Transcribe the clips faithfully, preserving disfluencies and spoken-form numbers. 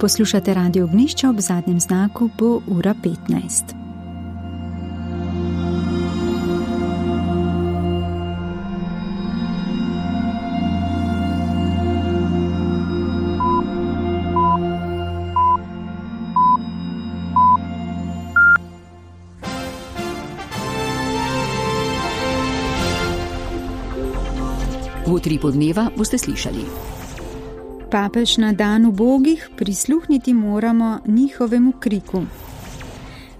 Poslušate Radio Ognjišče, ob zadnjem znaku bo ura petnajst. V utripu dneva boste slišali. Papež na dan ubogih, prisluhniti moramo njihovemu kriku.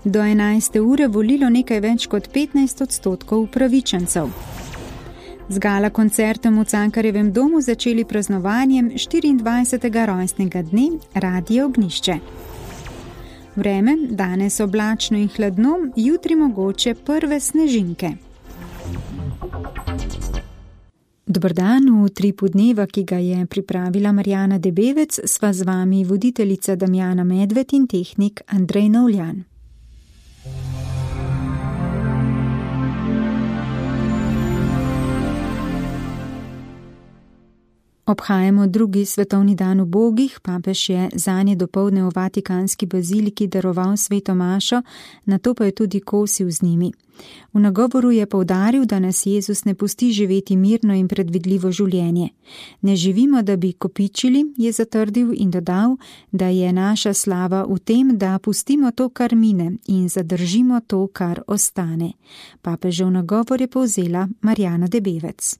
Do enajste ure volilo nekaj več kot petnajst odstotkov upravičencev. Z gala koncertom v Cankarjevem domu začeli praznovanjem štiriindvajsetega rojstnega dne Radio Ognjišče. Vreme, danes oblačno in hladno, jutri mogoče prve snežinke. Dober dan, v utripu dneva, ki ga je pripravila Marjana Debevec, sva z vami voditeljica Damjana Medved in tehnik Andrej Novljan. Obhajamo drugi svetovni dan ubogih. Papež je zanje dopoldne v Vatikanski baziliki daroval sveto mašo, nato pa je tudi kosil z njimi. V nagovoru je poudaril, da nas Jezus ne pusti živeti mirno in predvidljivo življenje. Ne živimo, da bi kopičili, je zatrdil in dodal, da je naša slava v tem, da pustimo to, kar mine, in zadržimo to, kar ostane. Papežev nagovor je povzela Marjana Debevec.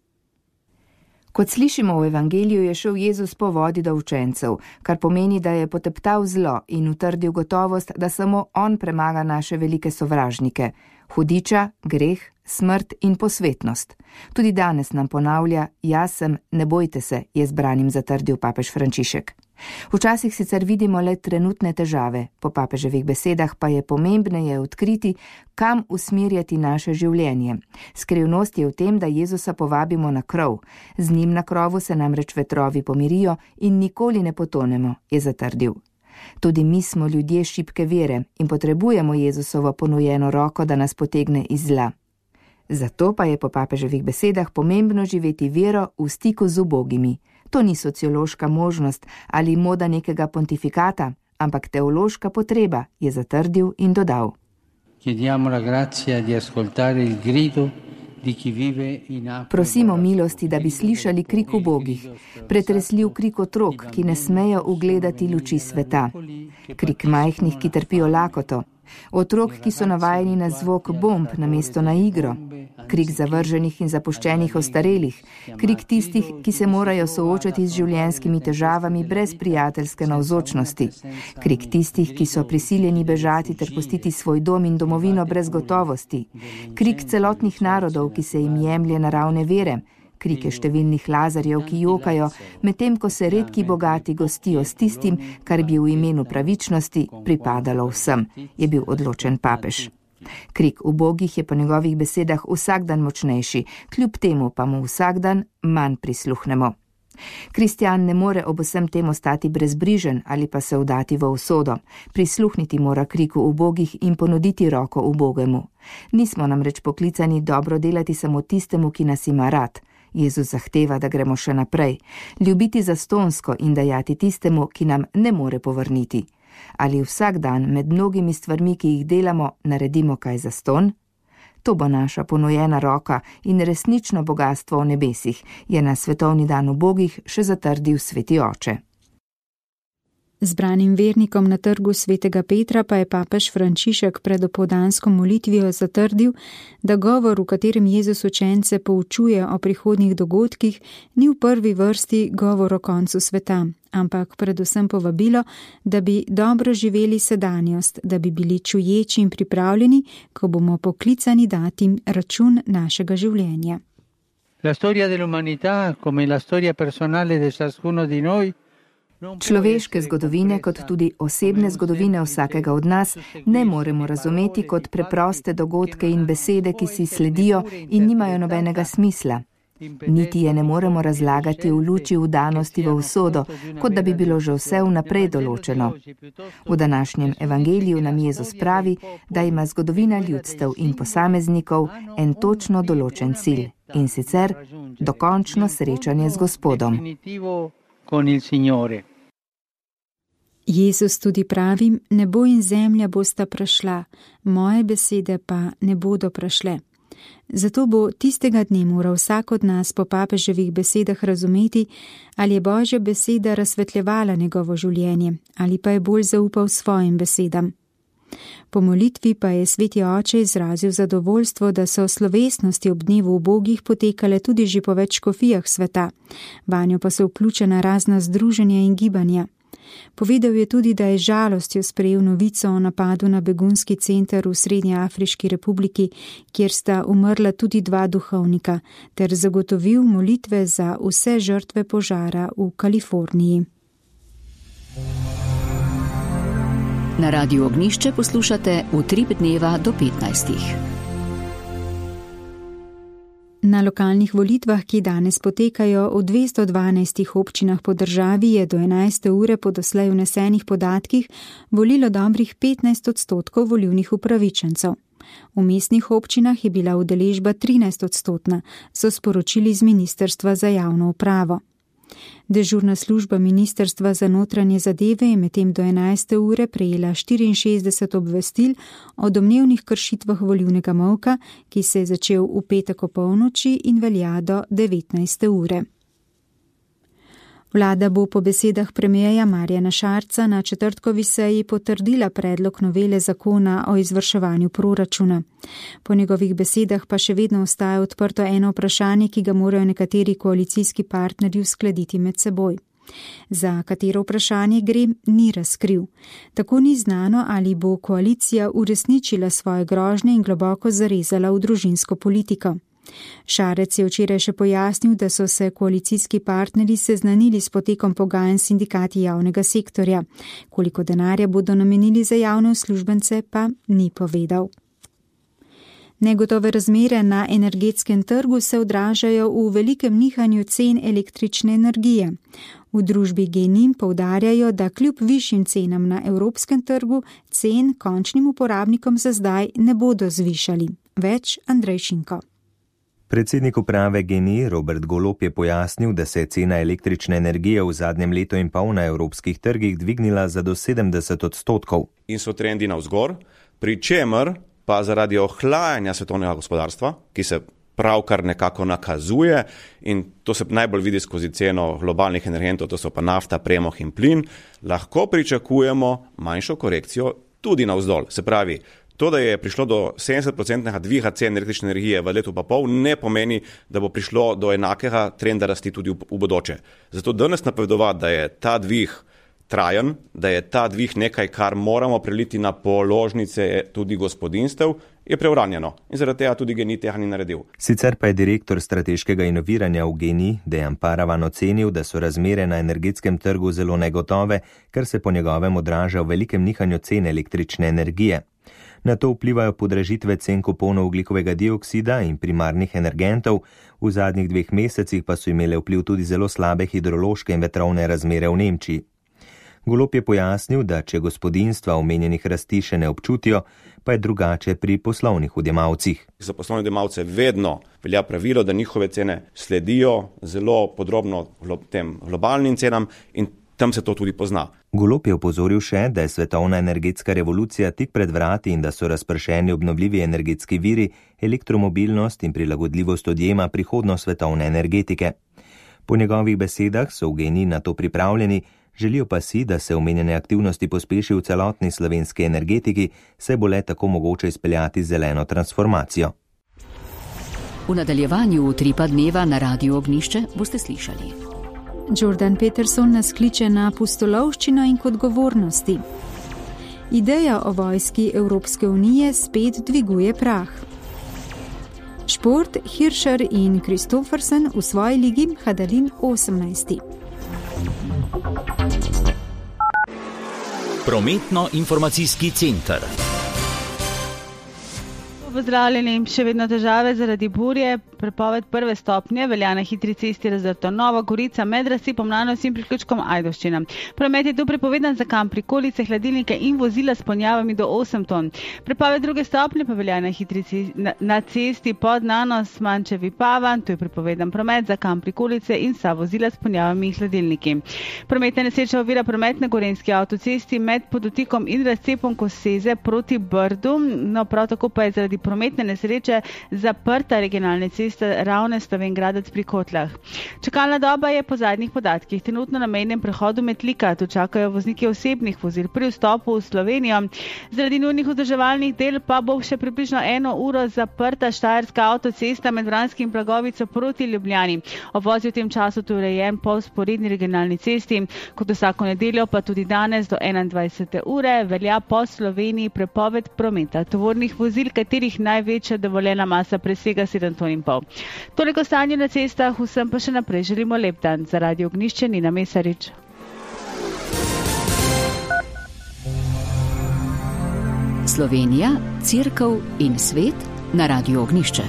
Kot slišimo v evangeliju, je šel Jezus po vodi do učencev, kar pomeni, da je poteptal zlo in utrdil gotovost, da samo on premaga naše velike sovražnike, hudiča, greh, smrt in posvetnost. Tudi danes nam ponavlja, jaz sem, ne bojte se, je zbranim zatrdil papež Frančišek. Včasih sicer vidimo le trenutne težave, po papeževih besedah pa je pomembneje odkriti, kam usmerjati naše življenje. Skrivnost je v tem, da Jezusa povabimo na krov. Z njim na krovu se namreč vetrovi pomirijo in nikoli ne potonemo, je zatrdil. Tudi mi smo ljudje šibke vere in potrebujemo Jezusovo ponujeno roko, da nas potegne iz zla. Zato pa je po papeževih besedah pomembno živeti vero v stiku z ubogimi. To ni sociološka možnost ali moda nekega pontifikata, ampak teološka potreba, je zatrdil in dodal. Prosimo milosti, da bi slišali krik ubogih, pretresljiv krik otrok, ki ne smejo ugledati luči sveta, krik majhnih, ki trpijo lakoto, otrok, ki so navajeni na zvok bomb namesto na igro, krik zavrženih in zapuščenih ostarelih, krik tistih, ki se morajo soočati z življenjskimi težavami brez prijateljske navzočnosti, krik tistih, ki so prisiljeni bežati ter pustiti svoj dom in domovino brez gotovosti, krik celotnih narodov, ki se jim jemlje naravne vere, krike številnih Lazarjev, ki jokajo, medtem ko se redki bogati gostijo s tistim, kar bi v imenu pravičnosti pripadalo vsem, je bil odločen papež. Krik ubogih je po njegovih besedah vsak dan močnejši, kljub temu pa mu vsak dan manj prisluhnemo. Kristjan ne more ob vsem tem ostati brezbrižen ali pa se vdati v usodo. Prisluhniti mora kriku ubogih in ponuditi roko ubogemu. Nismo namreč poklicani dobro delati samo tistemu, ki nas ima rad. Jezus zahteva, da gremo še naprej, ljubiti zastonsko in dajati tistemu, ki nam ne more povrniti. Ali vsak dan med mnogimi stvarmi, ki jih delamo, naredimo kaj zastonj? To bo naša ponujena roka in resnično bogatstvo v nebesih, je na svetovni dan ubogih še zatrdil sveti oče. Zbranim vernikom na trgu svetega Petra pa je papež Frančišek pred opoldansko molitvijo zatrdil, da govor, v katerem Jezus učence poučuje o prihodnjih dogodkih, ni v prvi vrsti govor o koncu sveta, ampak predvsem povabilo, da bi dobro živeli sedanjost, da bi bili čuječi in pripravljeni, ko bomo poklicani dati račun našega življenja. La storia dell'umanità, come la storia personale di ciascuno di noi, Človeške zgodovine, kot tudi osebne zgodovine vsakega od nas, ne moremo razumeti kot preproste dogodke in besede, ki si sledijo in nimajo nobenega smisla. Niti je ne moremo razlagati v luči vdanosti v usodo, kot da bi bilo že vse vnaprej določeno. V današnjem evangeliju nam Jezus pravi, da ima zgodovina ljudstev in posameznikov en točno določen cilj, in sicer dokončno srečanje z Gospodom. Jezus tudi pravi, nebo in zemlja bosta prešla, moje besede pa ne bodo prešle. Zato bo tistega dne moral vsak od nas po papeževih besedah razumeti, ali je Božja beseda razsvetljevala njegovo življenje, ali pa je bolj zaupal svojim besedam. Po molitvi pa je sveti oče izrazil zadovoljstvo, da so slovesnosti ob dnevu ubogih potekale tudi že po več škofijah sveta, vanjo pa so vključena razna združenja in gibanja. Povedal je tudi, da je žalostjo sprejel novico o napadu na begunski center v Srednjeafriški republiki, kjer sta umrla tudi dva duhovnika, ter zagotovil molitve za vse žrtve požara v Kaliforniji. Na Radiu Ognjišče poslušate Utrip dneva do petnajstih. Na lokalnih volitvah, ki danes potekajo v dvesto dvanajstih občinah po državi, je do enajste ure po doslej vnesenih podatkih volilo dobrih petnajst odstotkov volilnih upravičencev. V mestnih občinah je bila udeležba trinajst odstotna, so sporočili z Ministrstva za javno upravo. Dežurna služba Ministrstva za notranje zadeve je medtem do enajste ure prejela štiriinšestdeset obvestil o domnevnih kršitvah volilnega molka, ki se je začel v petek opolnoči in velja do devetnajste ure. Vlada bo po besedah premierja Marjana Šarca na četrtkovi seji potrdila predlog novele zakona o izvrševanju proračuna. Po njegovih besedah pa še vedno ostaja odprto eno vprašanje, ki ga morajo nekateri koalicijski partnerji uskladiti med seboj. Za katero vprašanje gre, ni razkril. Tako ni znano, ali bo koalicija uresničila svoje grožnje in globoko zarezala v družinsko politiko. Šarec je včeraj še pojasnil, da so se koalicijski partnerji seznanili s potekom pogajanj s sindikati javnega sektorja. Koliko denarja bodo namenili za javne uslužbence, pa ni povedal. Negotove razmere na energetskem trgu se odražajo v velikem nihanju cen električne energije. V družbi Genin poudarjajo, da kljub višjim cenam na evropskem trgu cen končnim uporabnikom za zdaj ne bodo zvišali. Več Andrej Šinko. Predsednik uprave Geni Robert Golob je pojasnil, da se je cena električne energije v zadnjem letu in pol na evropskih trgih dvignila za do sedemdeset odstotkov. In so trendi navzgor, pri čemer pa zaradi ohlajanja svetovnega gospodarstva, ki se pravkar nekako nakazuje, in to se najbolj vidi skozi ceno globalnih energentov, to so pa nafta, premog in plin, lahko pričakujemo manjšo korekcijo tudi navzdol. Se pravi, to, da je prišlo do sedemdeset odstotnega dviga cen električne energije v letu pa pol, ne pomeni, da bo prišlo do enakega trenda rasti tudi v, v bodoče. Zato danes napovedovati, da je ta dvig trajen, da je ta dvig nekaj, kar moramo preliti na položnice tudi gospodinstev, je preuranjeno. In zaradi tega tudi Geni tega ni naredil. Sicer pa je direktor strateškega inoviranja v Geni, Dejan Paravan, ocenil, da so razmere na energetskem trgu zelo negotove, kar se po njegovem odraža v velikem nihanju cen električne energije. Na to vplivajo podražitve cen kuponov ogljikovega dioksida in primarnih energentov, v zadnjih dveh mesecih pa so imele vpliv tudi zelo slabe hidrološke in vetrovne razmere v Nemčiji. Golob je pojasnil, da če gospodinjstva omenjenih rasti še ne občutijo, pa je drugače pri poslovnih odjemalcih. Za poslovne odjemalce vedno velja pravilo, da njihove cene sledijo zelo podrobno tem globalnim cenam in tam se to tudi pozna. Golob je opozoril še, da je svetovna energetska revolucija tik pred vrati in da so razpršeni obnovljivi energetski viri, elektromobilnost in prilagodljivost odjema prihodnost svetovne energetike. Po njegovih besedah so v Geni na to pripravljeni, želijo pa si, da se omenjene aktivnosti pospeši v celotni slovenski energetiki, saj bo le tako mogoče izpeljati zeleno transformacijo. V nadaljevanju Utripa dneva na Radiu Ognjišče boste slišali. Jordan Peterson nas kliče na pustolovščino in k odgovornosti. Ideja o vojski Evropske unije spet dviguje prah. Šport, Hirscher in Kristoffersen v svoji ligi, Hadalin osemnajsti. Prometno-informacijski center. V pozdravljeni. Še vedno težave zaradi burje. Prepoved prve stopnje velja na hitri cesti Razrto Nova Gorica med Rasipom Mlanovci in priključkom Ajdovščina. Promet je tu prepovedan za kamp, prikolice, hladilnike in vozila s ponjavami do osem ton. Prepoved druge stopnje pa velja na hitri cesti, na, na cesti pod Nanos Mančevi Pavan. Tu je prepovedan promet za kamp, prikolice in vsa vozila s ponjavami in hladilniki. Prometna nesreča ovira promet na Gorenjski avtocesti med Podutikom in Razcepom Koseze proti Brdu. No, prav tako pa je zaradi prometne nesreče zaprta regionalna cesta Ravne Slovenj-Gradec pri Kotlah. Čakalna doba je po zadnjih podatkih trenutno na mejnem prehodu Metlika. Tu čakajo vozniki osebnih vozil pri vstopu v Slovenijo. Zaradi nujnih vzdrževalnih del pa bo še približno eno uro zaprta Štajerska avtocesta med Vranskim in Blagovico proti Ljubljani. Obvoz je v tem času tu urejen po vzporedni regionalni cesti. Kot vsako nedeljo pa tudi danes do enaindvajsete ure velja po Sloveniji prepoved prometa tovornih vozil, katerih največja dovoljena masa presega sedem ton in pol. Toliko stanje na cestah, vsem pa še naprej želimo lep dan. Za Radio Ognjišče Nina Mesarič. Slovenija, Cerkev in svet na Radio Ognjišče.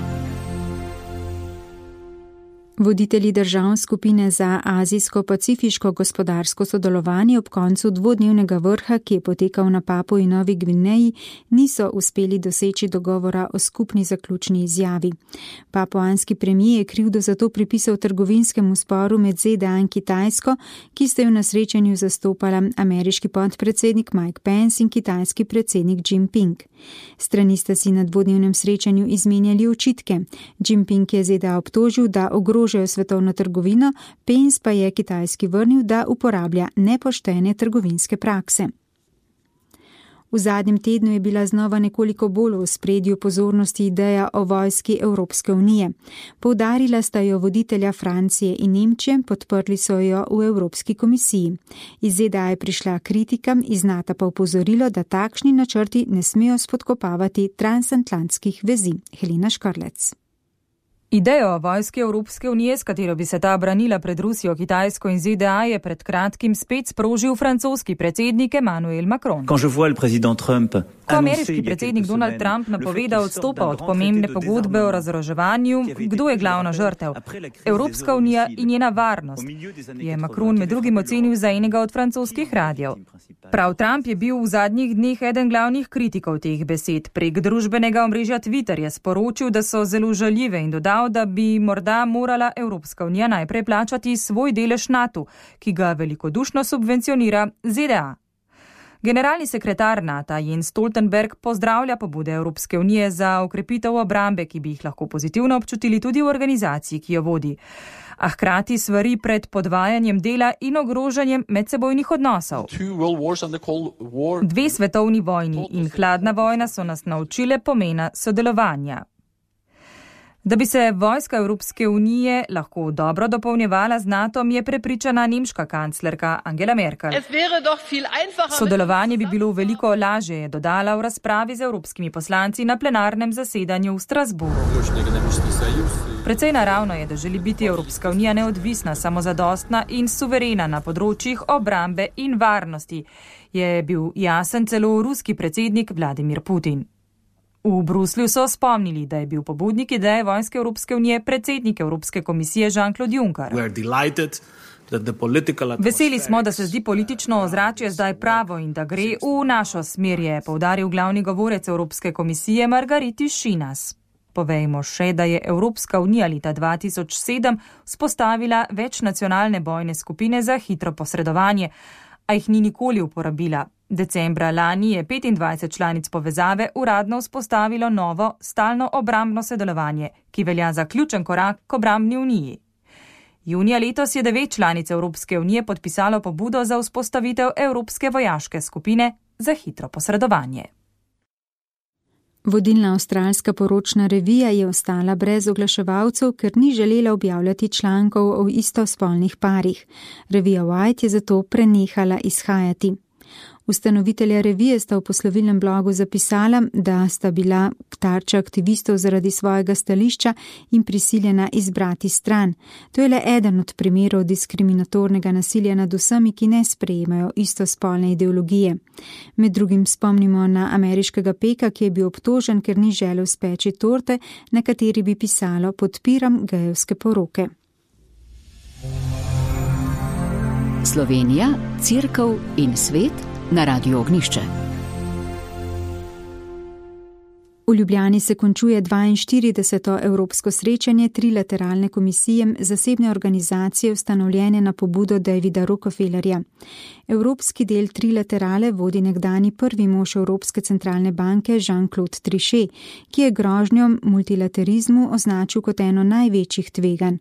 Voditelji držav skupine za azijsko-pacifiško gospodarsko sodelovanje ob koncu dvodnevnega vrha, ki je potekal na Papui Novi Gvineji, niso uspeli doseči dogovora o skupni zaključni izjavi. Papuanski premijer je krivdo za to pripisal trgovinskemu sporu med Z D A in Kitajsko, ki sta jo na srečanju zastopala ameriški podpredsednik Mike Pence in kitajski predsednik Jinping. Strani sta si na dvodnevnem srečanju izmenjali očitke. Jinping je Z D A obtožil, da ogrožajo svetovno trgovino, Pence pa je Kitajski vrnil, da uporablja nepoštene trgovinske prakse. V zadnjem tednu je bila znova nekoliko bolj v ospredju pozornosti ideja o vojski Evropske unije. Poudarila sta jo voditelja Francije in Nemčije, podprli so jo v Evropski komisiji. Iz Z D A je prišla kritika, iz NATO pa opozorilo, da takšni načrti ne smejo spodkopavati transatlantskih vezi. Helena Škrlec. Idejo o vojski Evropske unije, s katero bi se ta branila pred Rusijo, Kitajsko in Z D A, je pred kratkim spet sprožil francoski predsednik Emmanuel Macron. Ko ameriški predsednik Donald Trump napoveda odstopa od pomembne pogodbe o razoroževanju, kdo je glavna žrtev? Evropska unija in njena varnost, je Macron med drugim ocenil za enega od francoskih radijev. Prav Trump je bil v zadnjih dneh eden glavnih kritikov teh besed. Prek družbenega omrežja Twitter je sporočil, da so zelo žaljive in dodal, da bi morda morala Evropska unija najprej plačati svoj delež NATO, ki ga velikodušno subvencionira Z D A. Generalni sekretar NATO Jens Stoltenberg pozdravlja pobude Evropske unije za okrepitev obrambe, ki bi jih lahko pozitivno občutili tudi v organizaciji, ki jo vodi. A hkrati svari pred podvajanjem dela in ogrožanjem medsebojnih odnosov. Dve svetovni vojni in hladna vojna so nas naučile pomena sodelovanja. Da bi se vojska Evropske unije lahko dobro dopolnjevala z NATOm, je prepričana nemška kanclerka Angela Merkel. Sodelovanje bi bilo veliko lažje, je dodala v razpravi z evropskimi poslanci na plenarnem zasedanju v Strasbourgu. Precej naravno je, da želi biti Evropska unija neodvisna, samozadostna in suverena na področjih obrambe in varnosti, je bil jasen celo ruski predsednik Vladimir Putin. V Bruslju so spomnili, da je bil pobudnik ideje vojske Evropske unije predsednik Evropske komisije Jean-Claude Juncker. Veseli smo, da se zdi politično ozračje zdaj pravo in da gre v našo smer, je poudaril glavni govorec Evropske komisije Margariti Šinas. Povejmo še, da je Evropska unija leta dva tisoč sedem vzpostavila večnacionalne bojne skupine za hitro posredovanje, a jih ni nikoli uporabila. Decembra lani je petindvajset članic povezave uradno vzpostavilo novo stalno obrambno sodelovanje, ki velja za ključen korak k obrambni uniji. Junija letos je devet članic Evropske unije podpisalo pobudo za vzpostavitev Evropske vojaške skupine za hitro posredovanje. Vodilna avstralska poročna revija je ostala brez oglaševalcev, ker ni želela objavljati člankov o istospolnih parih. Revija White je zato prenehala izhajati. Ustanovitelja revije sta v poslovilnem blogu zapisala, da sta bila tarča aktivistov zaradi svojega stališča in prisiljena izbrati stran. To je le eden od primerov diskriminatornega nasilja nad vsemi, ki ne sprejemajo istospolne ideologije. Med drugim spomnimo na ameriškega peka, ki je bil obtožen, ker ni želel speči torte, na kateri bi pisalo "Podpiram gejevske poroke". Slovenija, Cerkev in svet na Radiu Ognjišče. V Ljubljani se končuje dvainštirideseto evropsko srečanje trilateralne komisije zasebne organizacije ustanovljene na pobudo Davida Rockefellerja. Evropski del trilaterale vodi nekdani prvi mož Evropske centralne banke Jean-Claude Trichet, ki je grožnjo multilaterizmu označil kot eno največjih tveganj.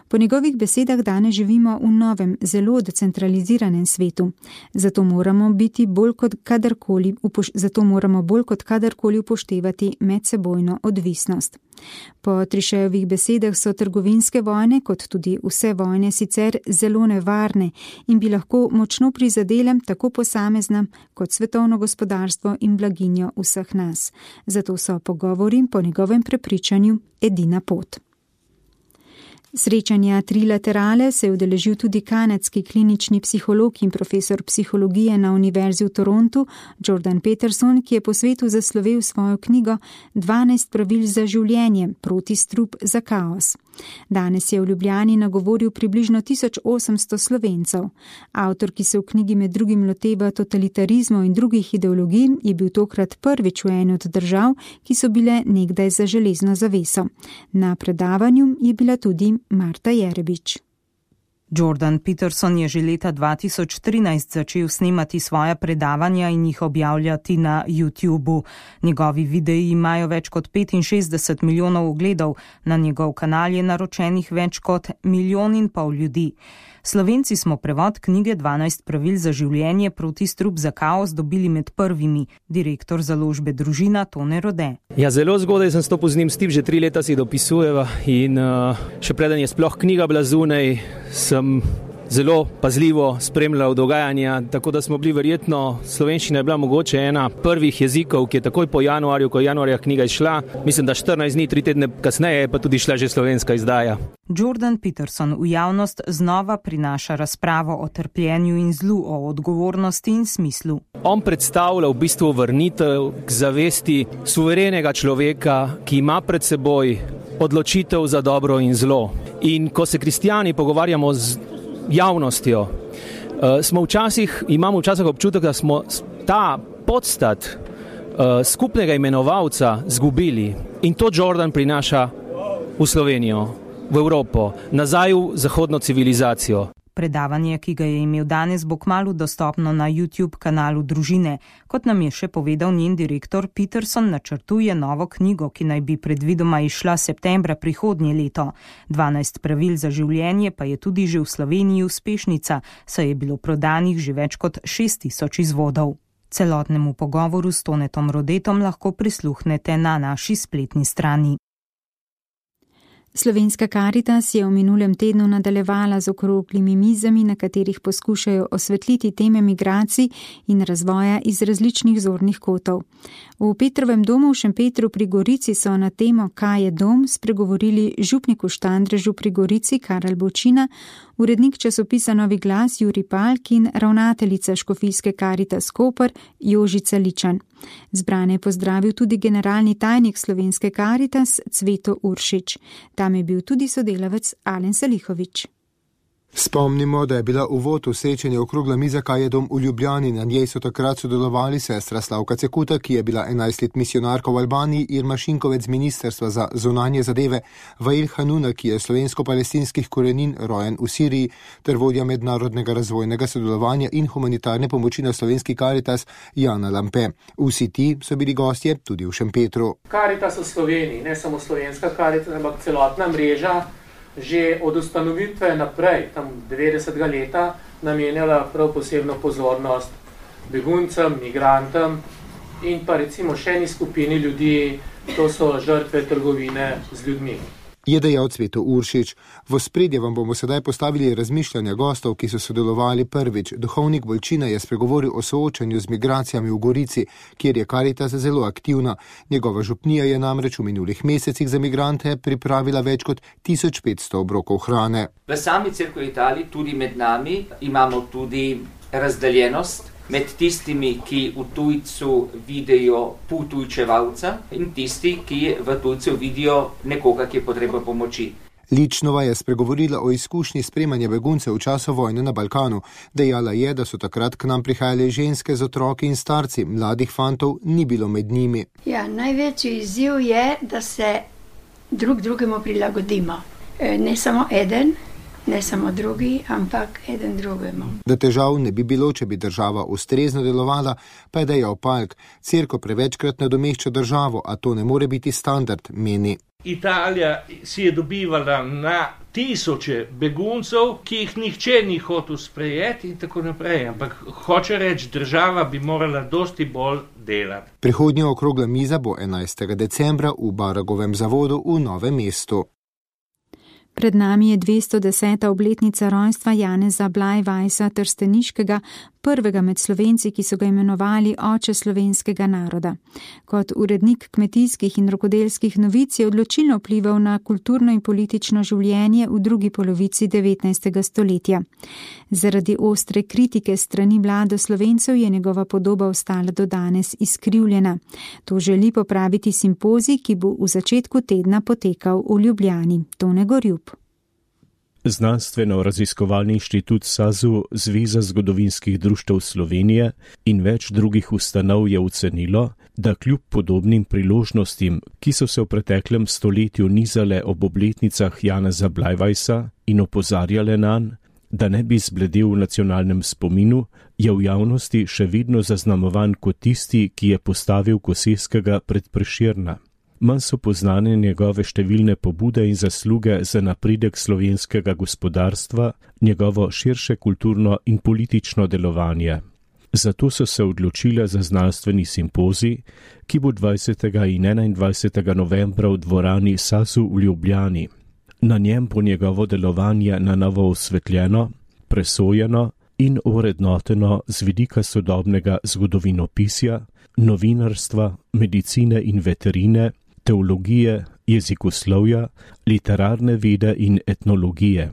Po njegovih besedah danes živimo v novem, zelo decentraliziranem svetu. Zato moramo biti bolj kot kadarkoli, upoš- zato moramo bolj kot kadarkoli upoštevati medsebojno odvisnost. Po Trichejevih besedah so trgovinske vojne, kot tudi vse vojne, sicer zelo nevarne in bi lahko močno prizadele tako posamezna kot svetovno gospodarstvo in blaginjo vseh nas. Zato so pogovori po njegovem prepričanju edina pot. Srečanja trilaterale se je udeležil tudi kanadski klinični psiholog in profesor psihologije na Univerzi v Torontu Jordan Peterson, ki je po svetu zaslovel svojo knjigo dvanajst pravil za življenje, proti strup za kaos. Danes je v Ljubljani nagovoril približno tisoč osemsto Slovencev. Avtor, ki se v knjigi med drugim loteva totalitarizmov in drugih ideologij, je bil tokrat prvič v eni od držav, ki so bile nekdaj za železno zaveso. Na predavanju je bila tudi Marta Jerebič. Jordan Peterson je že leta dva tisoč trinajst začel snemati svoja predavanja in jih objavljati na YouTubu. Njegovi videi imajo več kot petinšestdeset milijonov ogledov, na njegov kanal je naročenih več kot milijon in pol ljudi. Slovenci smo prevod knjige dvanajst pravil za življenje, proti strup za kaos dobili med prvimi, direktor založbe Družina Tone Rode. Ja, zelo zgodaj sem stopil z njim stik, že tri leta si dopisujeva in uh, še preden je sploh knjiga bila zunaj, sem zelo pazljivo spremljal dogajanja, tako da smo bili verjetno, slovenščina je bila mogoče ena prvih jezikov, ki je takoj po januarju, ko je januarja knjiga izšla, mislim, da štirinajst dni, tri tedne kasneje je pa tudi šla že slovenska izdaja. Jordan Peterson v javnost znova prinaša razpravo o trpljenju in zlu, o odgovornosti in smislu. On predstavlja v bistvu vrnitev k zavesti suverenega človeka, ki ima pred seboj odločitev za dobro in zlo. In ko se kristijani pogovarjamo z javnostjo, smo včasih, imamo včasih občutek, da smo ta podstat skupnega imenovalca zgubili. In to Jordan prinaša v Slovenijo, v Evropo, nazaj v zahodno civilizacijo. Predavanje, ki ga je imel danes, bo kmalu dostopno na YouTube kanalu Družine. Kot nam je še povedal njen direktor, Peterson načrtuje novo knjigo, ki naj bi predvidoma izšla septembra prihodnje leto. dvanajst pravil za življenje pa je tudi že v Sloveniji uspešnica, saj je bilo prodanih že več kot šest tisoč izvodov. Celotnemu pogovoru s Tonetom Rodetom lahko prisluhnete na naši spletni strani. Slovenska Karitas je v minulem tednu nadaljevala z okroglimi mizami, na katerih poskušajo osvetliti teme migracij in razvoja iz različnih zornih kotov. V Petrovem domu v Šempetru pri Gorici so na temo Kaj je dom spregovorili župnik v Štandrežu pri Gorici Karel Bočina, urednik časopisa Novi glas Jurij Palk in ravnateljica Škofijske Karitas Koper Jožica Ličan. Zbrane je pozdravil tudi generalni tajnik Slovenske Karitas Cveto Uršič. Tam je bil tudi sodelavec Alen Salihovič. Spomnimo, da je bila uvod v srečanje okrogla miza Kaj je dom v Ljubljani. Na njej so takrat sodelovali sestra Slavka Cekuta, ki je bila enajst let misionarka v Albaniji, Irma Šinkovec z Ministrstva za zunanje zadeve, Vail Hanuna, ki je slovensko-palestinskih korenin, rojen v Siriji, ter vodja mednarodnega razvojnega sodelovanja in humanitarne pomoči na Slovenski Karitas Jana Lampe. Vsi ti so bili gostje tudi v Šempetru. Karitas v Sloveniji, ne samo Slovenska Karitas, ampak celotna mreža, že od ustanovitve naprej, tam devetdesetega leta, namenjala prav posebno pozornost beguncem, migrantom in pa recimo še eni skupini ljudi, to so žrtve trgovine z ljudmi. Je dejal Cveto Uršič. V ospredje vam bomo sedaj postavili razmišljanja gostov, ki so sodelovali prvič. Duhovnik Bolčina je spregovoril o soočanju z migracijami v Gorici, kjer je Karitas zelo aktivna. Njegova župnija je namreč v minulih mesecih za migrante pripravila več kot tisoč petsto obrokov hrane. V sami cerkvi Italiji, tudi med nami, imamo tudi razdeljenost med tistimi, ki v tujcu vidijo potujčevalca in tisti, ki v tujcu vidijo nekoga, ki je potreba pomoči. Ličnova je spregovorila o izkušnji spremanja beguncev v času vojne na Balkanu. Dejala je, da so takrat k nam prihajale ženske z otroki in starci, mladih fantov ni bilo med njimi. Ja, največji izziv je, da se drug drugemu prilagodimo. Ne samo eden, ne samo drugi, ampak eden drugemu. Da težav ne bi bilo, če bi država ustrezno delovala, pa je dejal Palk. Cerkev prevečkrat nadomešča državo, a to ne more biti standard, meni. Italija si je dobivala na tisoče beguncev, ki jih nihče ni hotel sprejeti in tako naprej. Ampak hoče reči, država bi morala dosti bolj delati. Prihodnja okrogla miza bo enajstega decembra v Baragovem zavodu v Novem mestu. Pred nami je dvesto deseta obletnica rojstva Janeza Blajvajsa Trsteniškega, prvega med Slovenci, ki so ga imenovali oče slovenskega naroda. Kot urednik kmetijskih in rokodelskih novic je odločilno vplival na kulturno in politično življenje v drugi polovici devetnajstega stoletja. Zaradi ostre kritike strani vlade Slovencev je njegova podoba ostala do danes izkrivljena. To želi popraviti simpozij, ki bo v začetku tedna potekal v Ljubljani. Tone Gorjub. Znanstveno-raziskovalni inštitut SAZU, Zveza zgodovinskih društev Slovenije in več drugih ustanov je ocenilo, da kljub podobnim priložnostim, ki so se v preteklem stoletju nizale ob obletnicah Janeza Blajvajsa in opozarjale nanj, da ne bi zbledel v nacionalnem spominu, je v javnosti še vedno zaznamovan kot tisti, ki je postavil Koseskega pred Prešerna. Manj so poznane njegove številne pobude in zasluge za napredek slovenskega gospodarstva, njegovo širše kulturno in politično delovanje. Zato so se odločile za znanstveni simpozij, ki bo dvajsetega in enaindvajsetega novembra v dvorani SAZU v Ljubljani. Na njem bo njegovo delovanje na novo osvetljeno, presojeno in ovrednoteno z vidika sodobnega zgodovinopisja, novinarstva, medicine in veterine, teologije, jezikoslovja, literarne vede in etnologije.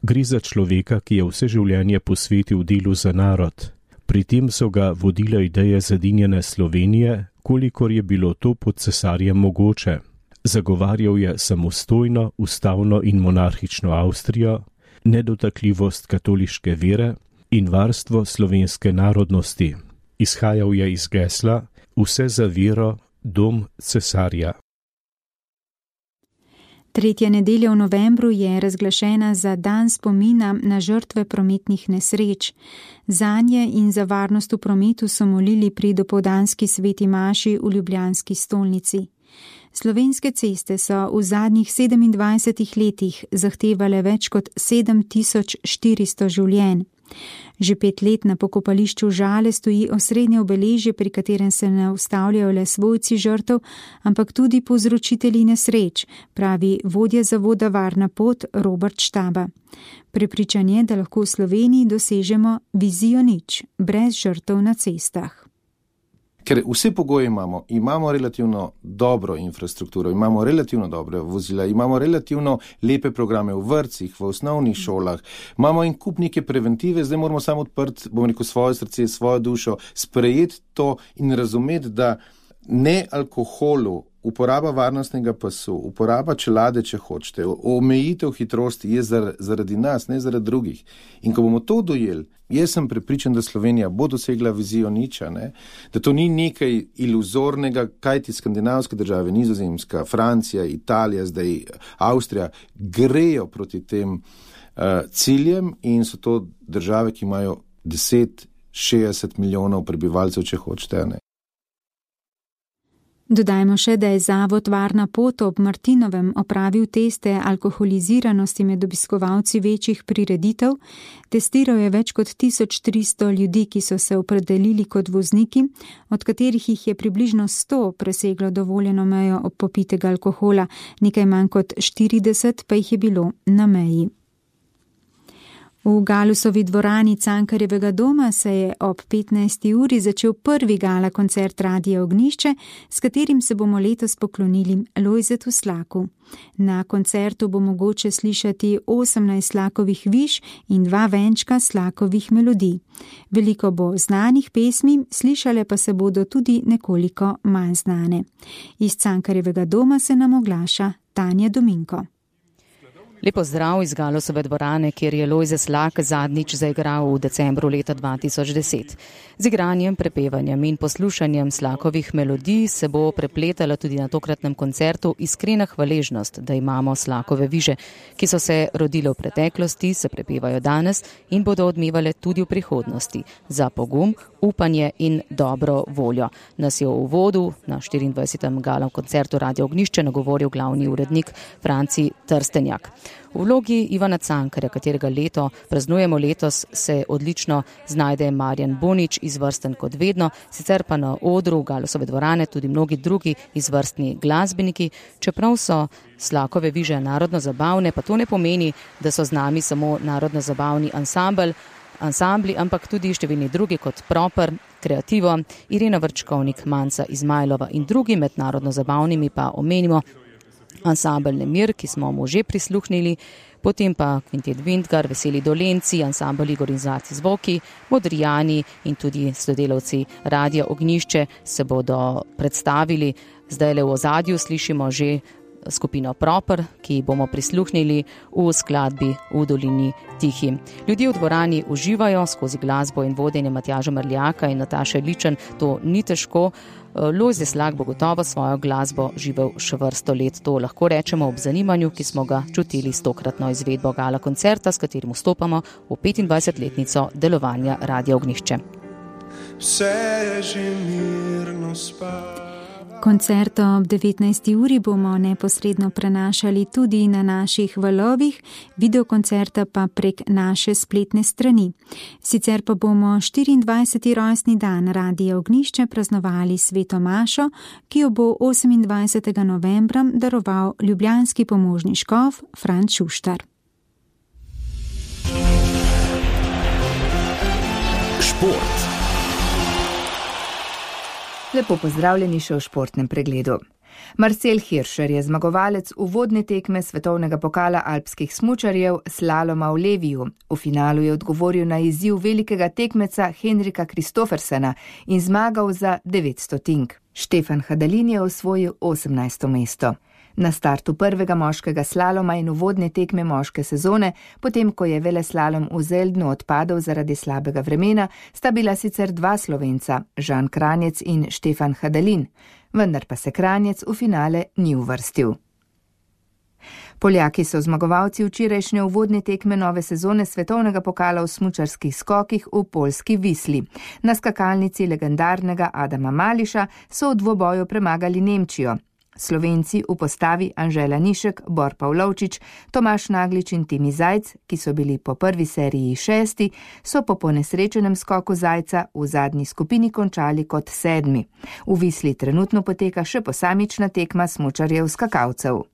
Gre za človeka, ki je vse življenje posvetil delu za narod. Pri tem so ga vodile ideje zedinjene Slovenije, kolikor je bilo to pod cesarjem mogoče. Zagovarjal je samostojno, ustavno in monarhično Avstrijo, nedotakljivost katoliške vere in varstvo slovenske narodnosti. Izhajal je iz gesla vse za vero, dom cesarja. Tretja nedelja v novembru je razglašena za dan spomina na žrtve prometnih nesreč. Zanje in za varnost v prometu so molili pri dopoldanski sveti maši v ljubljanski stolnici. Slovenske ceste so v zadnjih sedemindvajsetih letih zahtevale več kot sedem tisoč štiristo življenj. Že pet let na pokopališču Žale stoji osrednje obeležje, pri katerem se ne ustavljajo le svojci žrtev, ampak tudi povzročitelji nesreč, pravi vodja zavoda Varna pot Robert Štaba. Prepričan je, da lahko v Sloveniji dosežemo vizijo nič, brez žrtev na cestah. Ker vse pogoje imamo, imamo relativno dobro infrastrukturo, imamo relativno dobre vozila, imamo relativno lepe programe v vrtcih, v osnovnih šolah, imamo en kup neke preventive, zdaj moramo samo odprti, bom rekel, svoje srce, svojo dušo, sprejeti to in razumeti, da ne alkoholu, uporaba varnostnega pasu, uporaba čelade, če hočete, omejitev hitrosti je zaradi nas, ne zaradi drugih. In ko bomo to dojeli, jaz sem prepričan, da Slovenija bo dosegla vizijo niča, ne? Da to ni nekaj iluzornega, kajti skandinavske države, Nizozemska, Francija, Italija, zdaj Avstrija, grejo proti tem uh, ciljem in so to države, ki imajo deset, šestdeset milijonov prebivalcev, če hočete, ne? Dodajmo še, da je Zavod Varna pot ob Martinovem opravil teste alkoholiziranosti med obiskovalci večjih prireditev. Testiral je več kot tisoč tristo ljudi, ki so se opredelili kot vozniki, od katerih jih je približno sto preseglo dovoljeno mejo popitega alkohola, nekaj manj kot štirideset pa jih je bilo na meji. V Galusovi dvorani Cankarjevega doma se je ob petnajsti uri začel prvi gala koncert Radia Ognjišče, s katerim se bomo letos poklonili Lojzetu Slaku. Na koncertu bo mogoče slišati osemnajst Slakovih viž in dva venčka Slakovih melodij. Veliko bo znanih pesmi, slišale pa se bodo tudi nekoliko manj znane. Iz Cankarjevega doma se nam oglaša Tanja Dominko. Lepo zdrav iz Galusove dvorane, kjer je Lojze Slak zadnjič zaigral v decembru leta dva tisoč deset. Z igranjem, prepevanjem in poslušanjem Slakovih melodij se bo prepletala tudi na tokratnem koncertu iskrena hvaležnost, da imamo Slakove viže, ki so se rodile v preteklosti, se prepevajo danes in bodo odmevale tudi v prihodnosti, za pogum, upanje in dobro voljo. Nas je v uvodu na štiriindvajsetem galem koncertu Radia Ognjišče nagovoril glavni urednik Franci Trstenjak. V vlogi Ivana Cankarja, katerega leto praznujemo letos, se odlično znajde Marjan Bonič, izvrsten kot vedno, sicer pa na odru Galusove dvorane tudi mnogi drugi izvrstni glasbeniki. Čeprav so Slakove viže narodno zabavne, pa to ne pomeni, da so z nami samo narodno zabavni ansambl, ansambli, ampak tudi številni drugi kot Proper, Kreativo, Irena Vrčkovnik, Manca Izmajlova in drugi. Med narodno zabavnimi pa omenimo ansambl Nemir, ki smo mu že prisluhnili, potem pa Kvintet Vintgar, Veseli Dolenci, ansambl Igor in Zlati zvoki, Modrijani in tudi sodelavci Radia Ognjišče se bodo predstavili. Zdajle v ozadju slišimo že skupino Proper, ki bomo prisluhnili v skladbi V dolini tihi. Ljudje v dvorani uživajo skozi glasbo in vodenje Matjaža Mrljaka in Nataše Ličen, to ni težko. Lojze Slak bo gotovo svojo glasbo živel še vrsto let. To lahko rečemo ob zanimanju, ki smo ga čutili s tokratno izvedbo gala koncerta, s katerim vstopamo v petindvajsetletnico delovanja Radia Ognjišče. Vse že mirno spava. Koncert ob devetnajsti uri bomo neposredno prenašali tudi na naših valovih, videokoncerta pa prek naše spletne strani. Sicer pa bomo štiriindvajseti rojstni dan Radia Ognjišče praznovali sveto mašo, ki jo bo osemindvajsetega novembra daroval ljubljanski pomožni škof Franc Šuštar. Šport. Lepo pozdravljeni še v športnem pregledu. Marcel Hirscher je zmagovalec uvodne tekme svetovnega pokala alpskih smučarjev slaloma v Leviju. V finalu je odgovoril na izziv velikega tekmeca Henrika Kristoffersena in zmagal za devet stotink. Štefan Hadalin je osvojil osemnajsto mesto. Na startu prvega moškega slaloma in uvodne tekme moške sezone, potem ko je veleslalom v Zeldnu odpadel zaradi slabega vremena, sta bila sicer dva Slovenca, Žan Kranjec in Štefan Hadalin, vendar pa se Kranjec v finale ni uvrstil. Poljaki so zmagovalci včerajšnje uvodne tekme nove sezone svetovnega pokala v smučarskih skokih v poljski Visli. Na skakalnici legendarnega Adama Mališa so v dvoboju premagali Nemčijo. Slovenci v postavi Anžela Nišek, Bor Pavlovčič, Tomaš Naglič in Timi Zajc, ki so bili po prvi seriji šesti, so po ponesrečenem skoku Zajca v zadnji skupini končali kot sedmi. V Visli trenutno poteka še posamična tekma smučarjev skakalcev.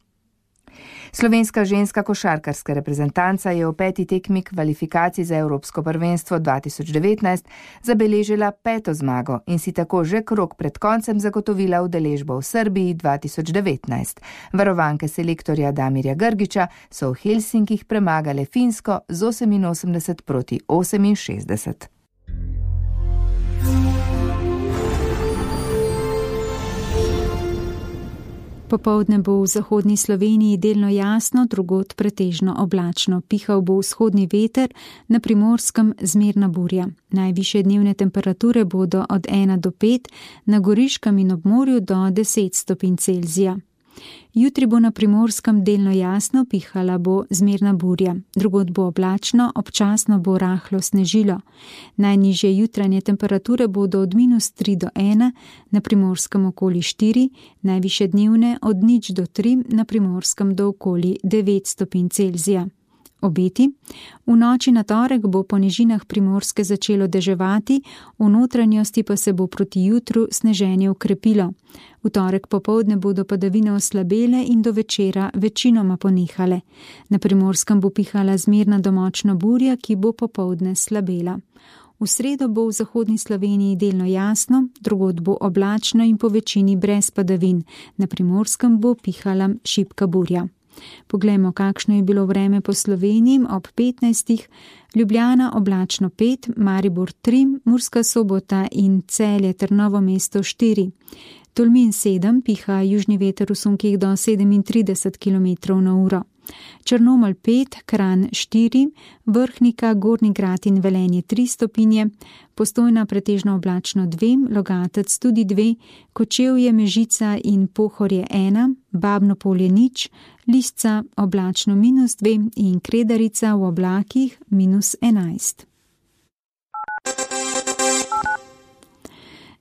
Slovenska ženska košarkarska reprezentanca je v peti tekmi kvalifikacij za Evropsko prvenstvo dva tisoč devetnajst zabeležila peto zmago in si tako že krog pred koncem zagotovila udeležbo v Srbiji dva tisoč devetnajst. Varovanke selektorja Damirja Grgiča so v Helsinkih premagale Finsko z oseminosemdeset proti oseminšestdeset. Popoldne bo v zahodni Sloveniji delno jasno, drugod pretežno oblačno. Pihal bo vzhodni veter, na Primorskem zmerna burja. Najvišje dnevne temperature bodo od ena do pet, na Goriškem in ob morju do deset stopinj Celzija. Jutri bo na Primorskem delno jasno, pihala bo zmerna burja. Drugod bo oblačno, občasno bo rahlo snežilo. Najnižje jutranje temperature bodo od minus tri do ena, na Primorskem okoli štiri, najviše dnevne od nič do tri, na Primorskem do okoli devet stopinj Celzija. Obeti. V noči na torek bo po nižinah Primorske začelo deževati, v notranjosti pa se bo proti jutru sneženje ukrepilo. V torek popoldne bodo padavine oslabele in do večera večinoma ponehale. Na Primorskem bo pihala zmerna do močna burja, ki bo popoldne slabela. V sredo bo v zahodni Sloveniji delno jasno, drugod bo oblačno in po večini brez padavin. Na Primorskem bo pihala šibka burja. Poglejmo, kakšno je bilo vreme po Sloveniji ob petnajstih. Ljubljana oblačno pet, Maribor tri, Murska Sobota in Celje ter Novo mesto štiri. Tolmin sedem, piha južni veter v sunkih do sedemintrideset kilometrov na uro. Črnomelj pet, Kranj štiri, Vrhnika, Gornji Grad in Velenje tri stopinje, Postojna pretežno oblačno dve, Logatec tudi dve, Kočevje, Mežica in Pohorje ena, Babno Polje nič, Lisca oblačno minus dve in Kredarica v oblakih minus enajst.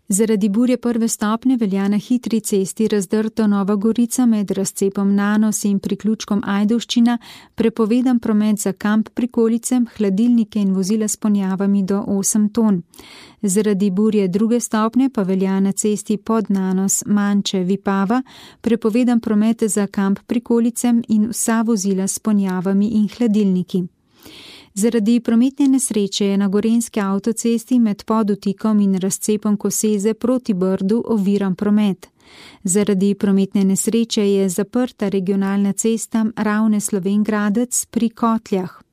Zaradi burje prve stopnje velja na hitri cesti Razdrto Nova Gorica med razcepom Nanos in priključkom Ajdovščina prepovedan promet za kamp prikolice, hladilnike in vozila s ponjavami do osem ton. Zaradi burje druge stopnje pa velja na cesti pod Nanos Manče Vipava prepovedan promet za kamp prikolice in vsa vozila s ponjavami in hladilniki. Zaradi prometne nesreče je na gorenjski avtocesti med Podutikom in razcepom Koseze proti Brdu oviran promet. Zaradi prometne nesreče je zaprta regionalna cesta Ravne-Slovenj-Gradec pri Kotljah.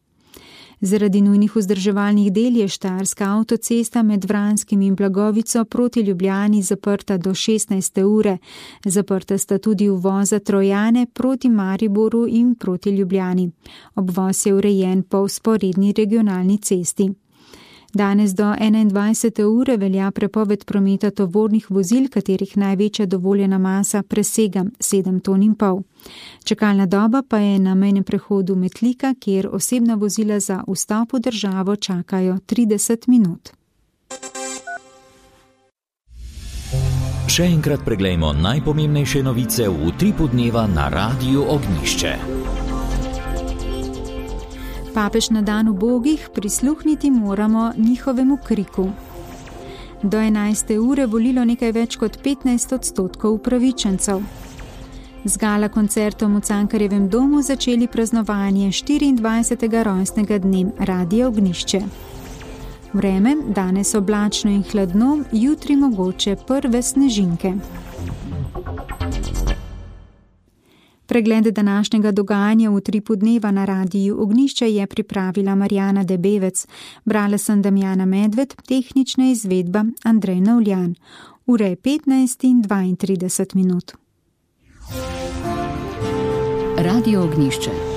Zaradi nujnih vzdrževalnih del je štajerska avtocesta med Vranskim in Blagovico proti Ljubljani zaprta do šestnajste ure. Zaprta sta tudi uvoza Trojane proti Mariboru in proti Ljubljani. Obvoz je urejen po vzporedni regionalni cesti. Danes do enaindvajsete ure velja prepoved prometa tovornih vozil, katerih največja dovoljena masa presega sedem ton in pol. Čakalna doba pa je na mejnem prehodu Metlika, kjer osebna vozila za vstop v državo čakajo trideset minut. Še enkrat preglejmo najpomembnejše novice v utripu dneva na Radiu Ognjišče. Papež na dan ubogih, prisluhniti moramo njihovemu kriku. Do enajste ure volilo nekaj več kot petnajst odstotkov upravičencev. Z gala koncertom v Cankarjevem domu začeli praznovanje štiriindvajsetega rojstnega dne Radia Ognjišče. Vreme, danes oblačno in hladno, jutri mogoče prve snežinke. Pregled današnjega dogajanja v utripu dneva na Radiju Ognjišče je pripravila Marjana Debevec, brala sem Damjana Medved, tehnična izvedba Andrej Navljan. Ura je petnajst in dvaintrideset minut. Radio Ognjišče.